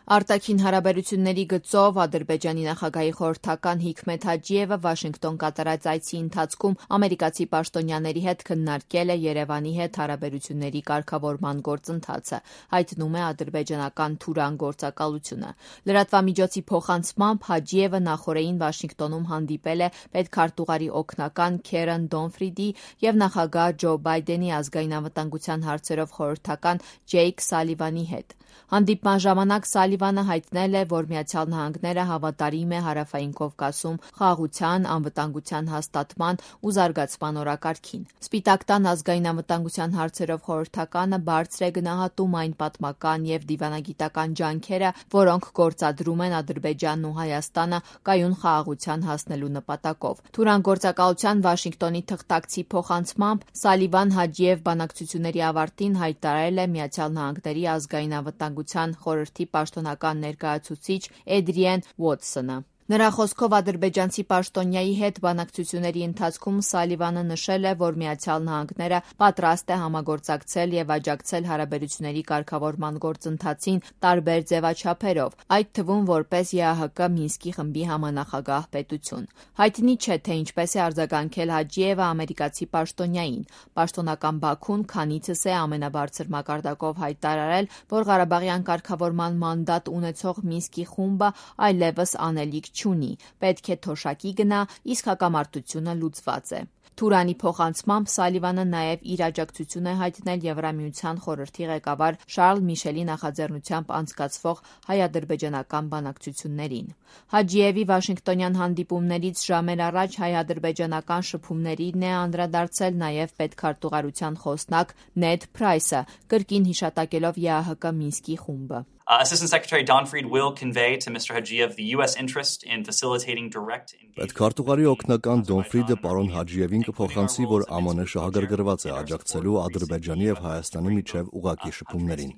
Արտաքին հարաբերությունների գծով Ադրբեջանի նախագահի խորհրդական Հիքմեթ Հաջիևը Վաշինգտոն կատարած այցի ընթացքում ամերիկացի պաշտոնյաների հետ քննարկել է Երևանի հետ հարաբերությունների կարգավորման գործընթացը, հայտնում է ադրբեջանական Թուրան գործակալությունը։ Լրատվամիջոցի փոխանցմամբ Հաջիևը նախօրեին Վաշինգտոնում հանդիպել է պետքարտուղարի օգնական Քերեն Դոնֆրիդի և նախագահ Ջո Բայդենի ազգային անվտանգության հարցերով խորհրդական Ջեյք Սալիվանի հետ։ Հանդիպման ժամանակ Սալիվանը հայտնել է, որ Միացյալ Նահանգները հավատարիմ է Հարավային Կովկասում խաղաղության, անվտանգության հաստատման ու զարգացման օրակարգին։ Սպիտակ տան ազգային անվտանգության հարցերով խորհրդականը բարձր է գնահատում այն պատմական և դիվանագիտական ջանքերը, որոնք գործադրում են Ադրբեջանն ու Հայաստանը կայուն խաղաղության հասնելու նպատակով։ Թուրան գործակալության Վաշինգտոնի թղթակցի փոխանցմամբ Սալիվան-Հաջիև բանակցությունների ավարտին հայտարարել է Միացյալ Նահանգների ազգային անվտանգության խորհրդի պաշտոնական ներկայացուցիչ Էդրիեն Ուոթսոնը։ Նրա խոսքով ադրբեջանցի պաշտոնյայի հետ բանակցությունների ընթացքում Սալիվանը նշել է, որ Միացյալ Նահանգները պատրաստ է համագործակցել և աջակցել հարաբերությունների կարգավորման գործընթացին տարբեր ձևաչափերով, այդ թվում որպես ԵԱՀԿ Մինսկի խմբի համանախագահ պետություն։ Հայտնի չէ, թե ինչպես է արձագանքել Հաջիևը ամերիկացի պաշտոնյային։ Պաշտոնական Բաքուն քանիցս է ամենաբարձր մակարդակով հայտարարել, որ Ղարաբաղյան կարգավորման մանդատ ունեցող Մինսկի խումբը այլևս անելիք չունի, պետք է թոշակի գնա, իսկ հակամարտությունը լուծված է։ Թուրանի փոխանցմամբ Սալիվանը նաև իր աջակցություն է հայտնել Եվրամիության խորհրդի ղեկավար Շարլ Միշելի նախաձեռնությամբ անցկացվող հայ-ադրբեջանական բանակցություններին։ Հաջիևի Վաշինգտոնյան հանդիպումներից ժամեր առաջ հայ-ադրբեջանական շփումներին է անդրադարձել նաև պետքարտուղարության խոսնակ Նեդ Փրայսը, կրկին հիշատակելով ԵԱՀԿ Մինսկի խումբը։ Assistant Secretary Donfried will convey to Mr. Hajiev the U.S. interest in facilitating direct engagement. Պետքարտուղարի օգնական Դոնֆրիդը պարոն Հաջիևին կփոխանցի, որ ԱՄՆ շահագրգռված է աջակցելու Ադրբեջանի եւ Հայաստանի միջև ուղղակի շփումներին։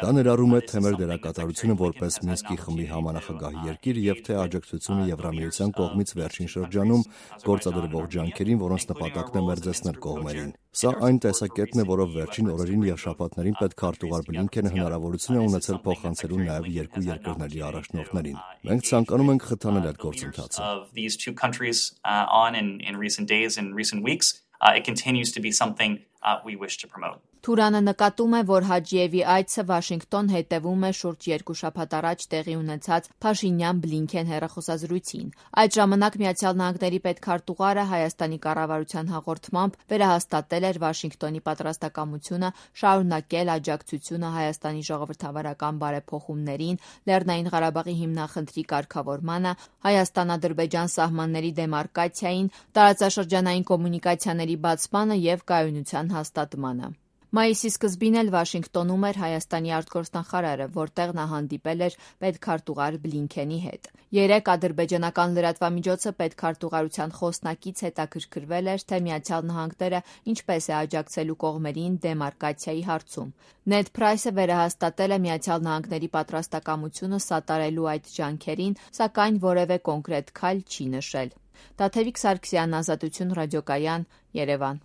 Դա ներառում է թե մեր դերակատարությունը որպես Մինսկի խմբի համանախագահ երկիր եւ թե աջակցությունը Եվրամիության կողմից վերջին շրջանում գործադրվող ջանքերին, որոնց նպատակն է մերձեցնել կողմերին։ Սա այն տեսակետն է, որով վերջին օրերին եւ շաբաթներին պետքարտուղար Բլինքենը հնարավորություն է ունեցել փոխանցելու նաեւ երկու երկրների առաջնորդներին։ Մենք ցանկանում ենք խթանել այդ գործընթացը։ It continues to be something we wish to promote. Թուրանը նկատում է, որ Հաջիևի այցը Վաշինգտոն հետևում է շուրջ 2 շաբաթ առաջ տեղի ունեցած Փաշինյան-Բլինքեն հեռախոսազրույցին։ Այդ ժամանակ Միացյալ Նահանգների պետքարտուղարը Հայաստանի կառավարության հաղորդմամբ վերահաստատել էր Վաշինգտոնի պատրաստակամությունը շարունակել աջակցությունը Հայաստանի ժողովրդավարական բարեփոխումներին, Լեռնային Ղարաբաղի հիմնախնդրի կարգավորմանը, Հայաստան-Ադրբեջան սահմանների դեմարկացիային, տարածաշրջանային կոմունիկացիաների բացմանը և կայունության հաստատմանը։ Մայիսի սկզբին էլ Վաշինգտոնում էր Հայաստանի արտգործնախարարը, որտեղ նա հանդիպել էր պետքարտուղար Բլինքենի հետ։ Երեկ ադրբեջանական լրատվամիջոցը պետքարտուղարության խոսնակից հետաքրքրվել էր, թե Միացյալ Նահանգները ինչպես է աջակցելու կողմերին դեմարկացիայի հարցում։ Նեդ Փրայսը վերահաստատել է Միացյալ Նահանգների պատրաստակամությունը սատարելու այդ ջանքերին, սակայն որևէ կոնկրետ քայլ չի նշել։ Տաթևիկ Սարգսյան, Ազատություն ռադիոկայան, Երևան։